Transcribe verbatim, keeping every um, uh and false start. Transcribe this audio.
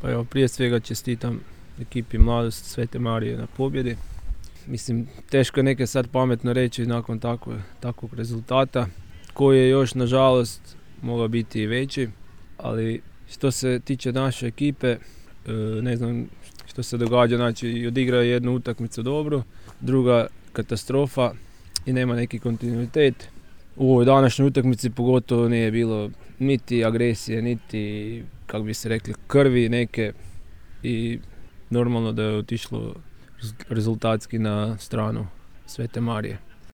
Pa evo, prije svega čestitam ekipi Mladost Svete Marije na pobjedi. Mislim, teško je neke sad pametno reći nakon takvog, takvog rezultata, koji je još, nažalost, mogao biti i veći, ali što se tiče naše ekipe, ne znam što se događa, znači odigrao je jednu utakmicu dobro, druga katastrofa i nema neki kontinuitet. U ovoj današnjoj utakmici pogotovo nije bilo niti agresije, niti, kako bi se rekli, krvi neke i normalno da je otišlo rezultatski na stranu Svete Marije.